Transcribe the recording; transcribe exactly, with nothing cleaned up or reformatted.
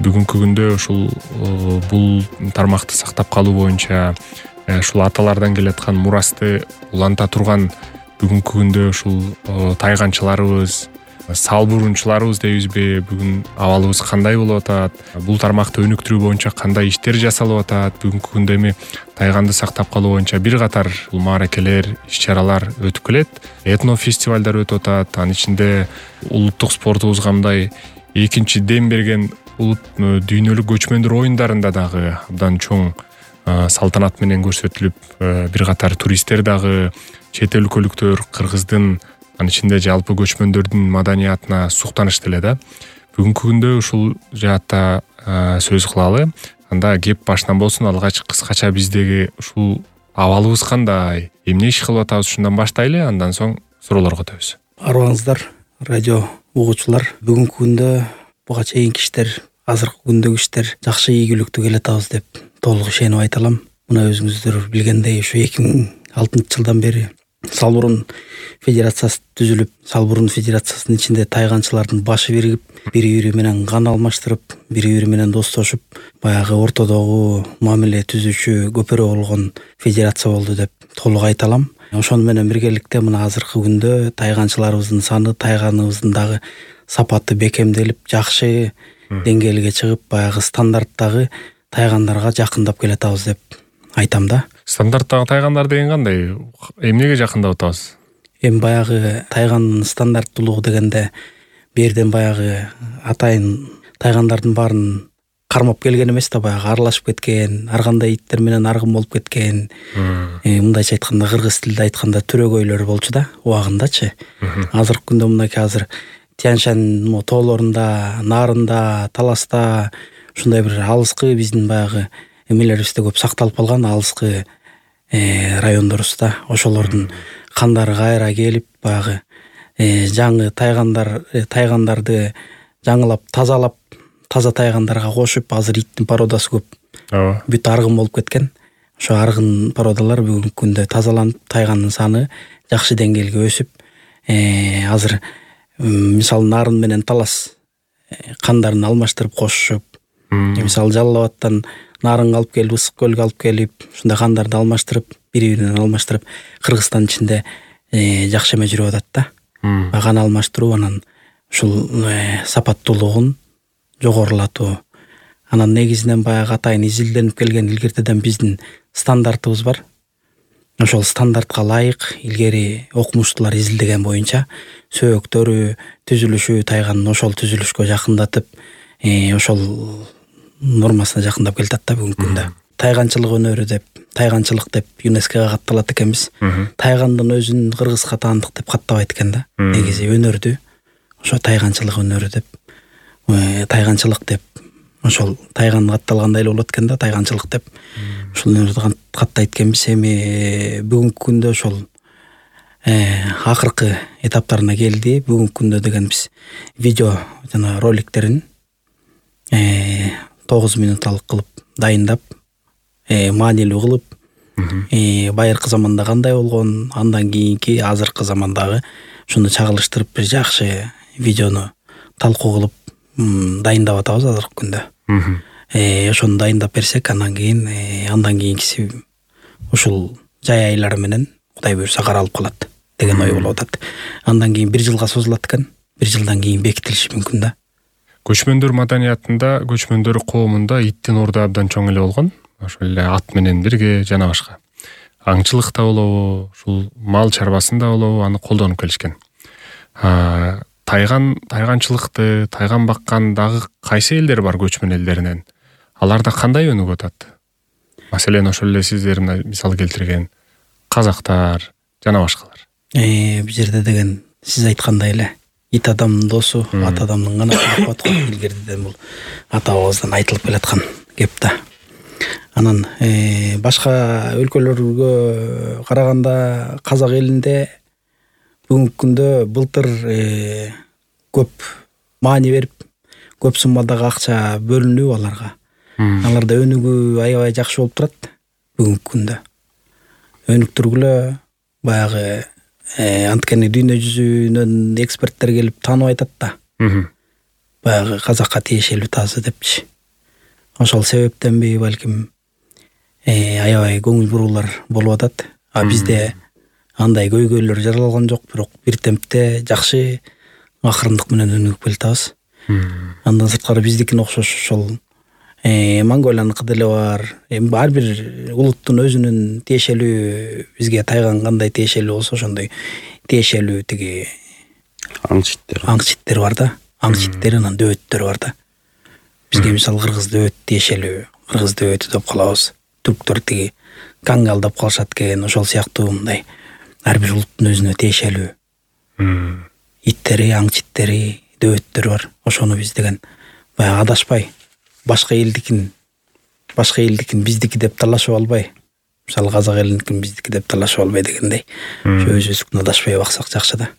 бүгүнкү күндө ушул бул тармакты сактап калуу боюнча ушул аталардан келаткан мурасты уланта турган бүгүнкү күндө ушул тайганчыларыбыз, салбуруунчуларыбыз дейбизби, бүгүн абалыбыз кандай болуп атат, бул тармакты өнүктүрүү боюнча кандай иштер жасалып атат, бүгүнкү күндө эми тайганды сактап калуу боюнча бир катар мааракелер, иш-чаралар өтүп келет, этно фестивалдар өтүп атат. Анын ичинде улуттук спортубузга мындай экинчи дем берген улут дүйнөлүк көчмөндөр оюндарында дагы абдан чоң салтанат менен көрсөтүлүп, бир катар туристтер дагы, чет өлкөлүктөр кыргыздын, анын ичинде жалпы көчмөндөрдүн маданиятына суктанышты эле да. Бүгүнкү күндө ушул жаатта сөз кылалы. Анда кеп башынан болсун, алгач кыскача биздеги ушул абалыбыз кандай, эмне иш кылып атабыз, ушундан баштайлы, андан соң суроолорго өтөбүз. Арыбаңыздар, радио угуучулар. Бүгүнкү күндө буга чейинки иштер, азыркы күндөгү иштер жакшы ийгиликтүү келатабыз деп толук ишенип айта алам. Мына өзүңүздөр билгендей, ушу эки миң алтынчы жылдан бери Салбурун федерациясы түзүлүп, Салбурун федерациясынын ичинде тайганчылардын башы биригип, бири-бири менен кан алмаштырып, бири-бири менен достошуп, баягы ортодогу мамиле түзүүчү көпөрө болгон федерация болду деп толук айта алам. Ошону менен биргеликте мына азыркы күндө тайганчыларыбыздын саны, тайганыбыздын дагы сапаты бекемделип, жакшы деңгээлге чыгып, баягы стандарттагы тайгандарга жакындап келатабыз деп айтам да. Стандарттагы тайгандар деген кандай? Эмнеге жакындап атабыз? Эми баягы тайгандын стандарттуулугу дегенде берден баягы атайын тайгандардын баарын кармап келген эмес да, баягы аралашып кеткен, ар кандай иттер менен аргын болуп кеткен. Мындайча айтканда, кыргыз тилинде айтканда төрөгөйлөр болчу да, убагындачы. Азыркы күндө мынакей азыр Тянь-Шань тоолорунда, Нарында, Таласта ушундай бир алыскы биздин баягы эмелерибизде көп сакталып калган алыскы райондорубузда, ошолордун кандары кайра келип, баягы жаңы тайгандар тайгандарды жаңылап, тазалап, таза тайгандарга кошуп, азыр иттин породасы көп. Ооба. Бүт аргын болуп кеткен. Ошо аргын породалар бүгүнкү күндө тазаланып, тайгандын саны жакшы деңгээлге өсүп, азыр мисалы Нарын менен Талас кандарын алмаштырып кошушуп, мисалы Жалал Абадтан Нарынга алып келип, Ысык көлгө алып келип, ушундай кандарды алмаштырып, бири-биринен алмаштырып, Кыргызстан ичинде жакшы эме жүрүп атат да. Кан алмаштыруу, анан ушул сапаттуулугун жогорулатуу. Анан негизинен баягы атайын изилденип келген илгертеден биздин стандартыбыз бар. Ошол стандартка ылайык илгери окумуштуулар изилдеген боюнча сөөктөрү, түзүлүшү тайганын ошол түзүлүшкө жакындатып, ошол нормасына жакындап келатат да бүгүнкү күндө. Тайганчылык өнөрү деп, тайганчылык деп ЮНЕСКОга катталат экенбиз. Тайгандын өзүн кыргызга таандык деп каттабайт экен да. Негизи өнөрдү ошо тайганчылык өнөрү деп, тайганчылык деп, ошол тайган катталгандай эле болот экен да, тайганчылык деп. Ушул өнөрдү каттайт экенбиз. Эми бүгүнкү күндө ошол акыркы этаптарына келди. Бүгүнкү күндө деген биз видео жана роликтерин тогуз минуталык кылып дайындап, маанилүү кылып, байыркы заманда кандай болгон, андан кийинки азыркы замандагы ушуну чагылыштырып бир жакшы видеону талкуу кылып дайындап атабыз азыркы күндө. Ошону дайындап берсек, андан кийин андан кийинкиси ушул жай айлары менен Кудай буйрса каралып калат деген ой болуп атат. Андан кийин бир жылга созулат экен. Бир жылдан кийин бекитилиши мүмкүн да. Көчмөндөр маданиятында, көчмөндөр коомунда иттин орду абдан чоң эле болгон. Ошол эле ат менен бирге жана башка. Аңчылыкта болобу, ушул мал чарбасында болобу, аны колдонуп келишкен. Тайган, тайганчылыкты, тайган баккан дагы кайсы элдер бар көчмөн элдеринен? Аларда кандай өнүгүп атат? Маселен, ошол эле сиздер мисал келтирген казактар жана башкалар. Бул жерде деген сиз айткандай эле ит адамдын досу, ат адамдын канаты деп коет го. Илгериден бул ата бабабыздан айтылып келаткан кеп да. Анан башка өлкөлөргө караганда казак элинде бүгүнкү күндө былтыр көп маани берип, көп суммадагы акча бөлүнүп аларга. Аларда өнүгүү аябай жакшы болуп турат бүгүнкү күндө. Өнүктүргүлө баягы анткени дүйнө жүзүнөн эксперттер келип таанып айтат да. Баягы казакка тиешелүү тазы депчи. ошол себептенби балким аябай көңүл буруулар болуп атат. А бизде андай көйгөйлөр жаралган жок, бирок бир темпте жакшы акырындык менен өнүгүп келатабыз. Андан сырткары биздикине окшош ошол Монголияныкы деле бар. Эми ар бир улуттун өзүнүн тиешелүү, бизге тайган кандай тиешелүү болсо ошондой тиешелүү тиги аң читтер. Аң читтер бар да. Аң читтер анан дөбөттөр бар да. Бизге мисалы кыргыз дөбөт тиешелүү, кыргыз дөбөтү деп калабыз. Түрктөр тиги кангал деп калышат экен. Ошол сыяктуу мындай ар бир улуттун өзүнө тиешелүү иттери, аң читтери, дөбөттөр бар. Ошону биз деген баягы адашпай башка элдикин башка элдикин биздики деп талашып албай, мисалы казак элиникин биздики деп талашып албай дегендей, өзүбүздүкүн адашпай баксак жакшы да.